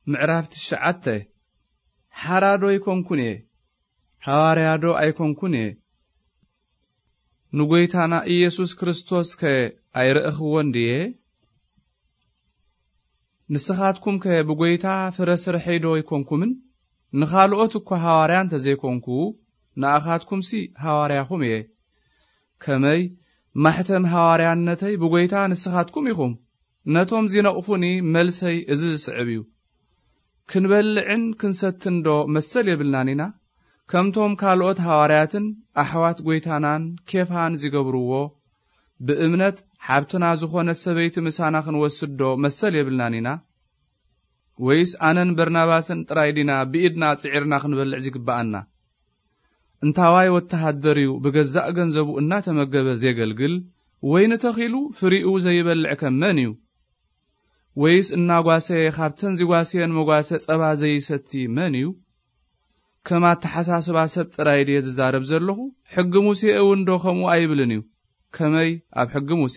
ምዕራፍ ትሽዓተ። ሓራ ዶ ኣይኮንኩን እየ? ሃዋርያ ዶ ኣይኮንኩን እየ? ንጎይታና ኢየሱስ ክርስቶስከ ኣይረእኽዎን ድየ? ንስኻትኩምከ ብጎይታ ፍረ ስርሐይ ዶ ኣይኮንኩምን? ንኻልኦት እኳ ሃዋርያ እንተ ዘይኮንኩ፣ ንኣኻትኩምሲ ሃዋርያኹም እየ። ከመይ ማሕተም ሃዋርያነተይ ብጎይታ ንስኻትኩም ኢኹም። ነቶም ዚነቕፉኒ መልሰይ እዚ ዝስዕብ እዩ። ክንበልዕን ክንሰትን ዶ መሰል የብልናን ኢና? ከምቶም ካልኦት ሃዋርያትን ኣሕዋት ጎይታናን ኬፋን ዚገብርዎ፣ ብእምነት ሓብትና ዝኾነት ሰበይቲ ምሳና ክንወስድ ዶ መሰል የብልናን ኢና? ወይስ ኣነን በርናባስን ጥራይ ዲና ብኢድና ጽዒርና ክንበልዕ ዚግብኣና? እንታዋይ ወተሃደር እዩ ብገዛእ ገንዘቡ እናተመገበ ዜገልግል፣ ወይኒ ተኺሉ ፍሪኡ ዘይበልዕ ከ መን እዩ? ወይስ እናጓሰየ ኻብተን ዚጓስየን መጓሰ ጸባ ዘይሰቲ መን እዩ? ከም ኣተሓሳስባ ሰብ ጥራይ ድየ ዝዛረብ ዘለኹ? ሕጊ ሙሴ እውን ዶ ከምኡ ኣይብልን እዩ? ከመይ ኣብ ሕጊ ሙሴ፣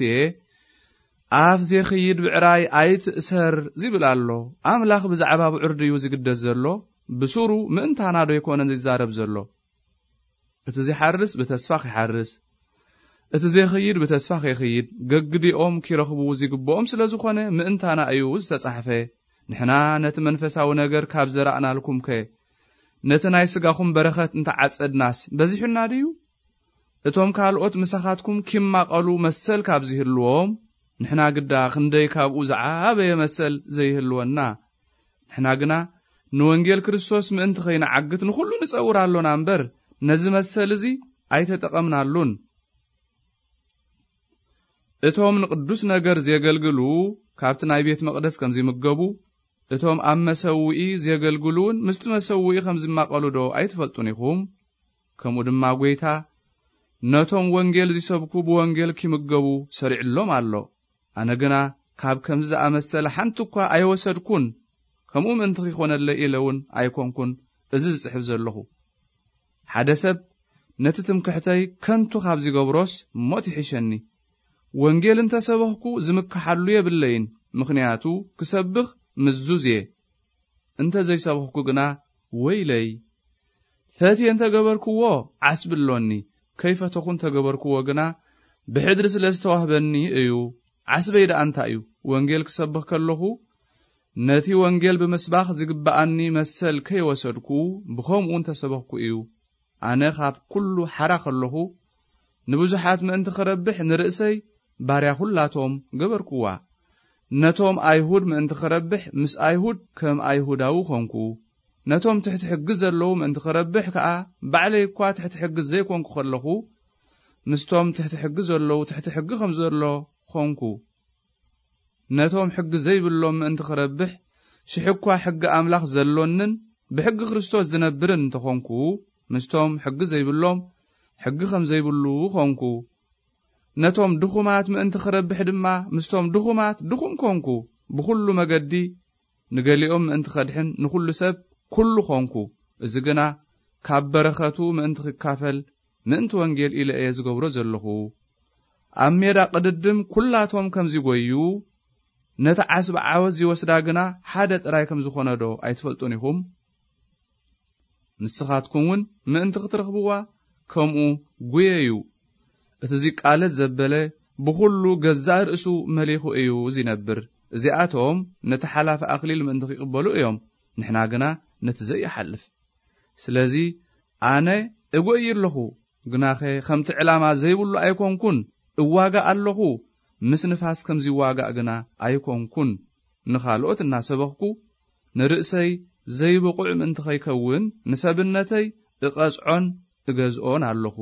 "ኣፍ ዜኽይድ ብዕራይ ኣይትእሰር" ዚብል ኣሎ? ኣምላኽ ብዛዕባ ብዑር ድዩ ዚግደስ ዘሎ? ብሱሩ ምእንታና ዶ ኣይኮነን ዚዛረብ ዘሎ? "እቲ ዚሓርስ ብተስፋ ኺሓርስ፣ እቲ ዜኽይድ ብተስፋ ኼኽይድ፣ ገግዲኦም ኪረኽቡ ዚግብኦም ስለ ዝኾነ፣ ምእንታና እዩ ዝተጻሕፈ። ንሕና ነቲ መንፈሳዊ ነገር ካብ ዘራእናልኩምከ፣ ነቲ ናይ ስጋኹም በረኸት እንተ ዓጸድናስ፣ በዚሑና ድዩ? እቶም ካልኦት ምሳኻትኩም ኪማቐሉ መሰል ካብ ዚህልዎም፣ ንሕና ግዳ ክንደይ ካብኡ ዝዓበየ መሰል ዘይህልወና። ንሕና ግና ንወንጌል ክርስቶስ ምእንቲ ኸይንዓግት ንኹሉ ንጸውር ኣሎና እምበር፣ ነዚ መሰል እዚ ኣይተጠቐምናሉን። እቶም ንቕዱስ ነገር ዜገልግሉ ካብቲ ናይ ቤት መቕደስ ከም ዚምገቡ፣ እቶም ኣብ መሰውኢ ዜገልግሉ እውን ምስቲ መሰውኢ ከም ዚማቐሉ ዶ ኣይትፈልጡን ኢኹም? ከምኡ ድማ ጐይታ፣ ነቶም ወንጌል ዚሰብኩ ብወንጌል ኪምገቡ ሰሪዕሎም ኣሎ። ኣነ ግና ካብ ከምዚ ዝኣመሰለ ሓንቲ እኳ ኣይወሰድኩን፣ ከምኡ ምእንቲ ኺኾነለይ ኢለ እውን ኣይኮንኩን እዚ ዝጽሕፍ ዘለኹ። ሓደ ሰብ ነቲ ትምክሕተይ ከንቱ ካብ ዚገብሮስ ሞት ይሕሸኒ። ወንጌል እንተ ሰበኽኩ ዝምክሓሉ የብለይን፣ ምኽንያቱ ክሰብኽ ምዙዝ እየ። እንተ ዘይሰበኽኩ ግና ወይለይ። ፈትየ እንተ ገበርክዎ ዓስቢ ኣሎኒ፣ ከይፈተኹ እንተ ገበርክዎ ግና ብሕድሪ ስለ ዝተዋህበኒ እዩ። ዓስበይ ደኣ እንታይ እዩ? ወንጌል ክሰብኽ ከለኹ ነቲ ወንጌል ብምስባኽ ዝግብኣኒ መሰል ከይወሰድኩ ብኸምኡ እንተ ሰበኽኩ እዩ። ኣነ ኻብ ኩሉ ሓራ ከለኹ ንብዙሓት ምእንቲ ክረብሕ ንርእሰይ ባርያ ኹላቶም ገበርክዋ። ነቶም ኣይሁድ ምእንቲ ክረብሕ ምስ ኣይሁድ ከም ኣይሁዳዊ ኾንኩ። ነቶም ትሕቲ ሕጊ ዘለዉ ምእንቲ ክረብሕ ከኣ ባዕለይ እኳ ትሕቲ ሕጊ ዘይኮንኩ ከለኹ ምስቶም ትሕቲ ሕጊ ዘለዉ ትሕቲ ሕጊ ከም ዘሎ ኾንኩ። ነቶም ሕጊ ዘይብሎም ምእንቲ ክረብሕ ሽሕ እኳ ሕጊ ኣምላኽ ዘሎንን ብሕጊ ክርስቶስ ዝነብርን እንተኾንኩ ምስቶም ሕጊ ዘይብሎም ሕጊ ከም ዘይብሉ ኾንኩ። ነቶም ድኹማት ምእንቲ ክረብሕ ድማ ምስቶም ድኹማት ድኹም ኮንኩ። ብኹሉ መገዲ ንገሊኦም ምእንቲ ከድሕን ንኹሉ ሰብ ኩሉ ኮንኩ። እዚ ግና ካብ በረኸቱ ምእንቲ ክካፈል ምእንቲ ወንጌል ኢለ እየ ዝገብሮ ዘለኹ። ኣብ ሜዳ ቅድድም ኩላቶም ከም ዚጎዩ ነቲ ዓስቢ ዓወት ዚወስዳ ግና ሓደ ጥራይ ከም ዝኾነ ዶ ኣይትፈልጡን ኢኹም? ንስኻትኩም እውን ምእንቲ ክትረኽብዋ ከምኡ ጉየዩ። እቲ ዚቃለስ ዘበለ ብኹሉ ገዛእ ርእሱ መሊኹ እዩ ዚነብር። እዚኣቶም ነቲ ሓላፊ ኣኽሊል ምእንቲ ኺቕበሉ እዮም፣ ንሕና ግና ነቲ ዘይሓልፍ። ስለዚ ኣነ እጎይ ኣለኹ፣ ግናኸ ከምቲ ዕላማ ዘይብሉ ኣይኮንኩን። እዋጋእ ኣለኹ፣ ምስ ንፋስ ከም ዚዋጋእ ግና ኣይኮንኩን። ንኻልኦት እናሰበኽኩ ንርእሰይ ዘይብቑዕ ምእንቲ ኸይከውን ንሰብነተይ እቐጽዖን እገዝኦን ኣለኹ።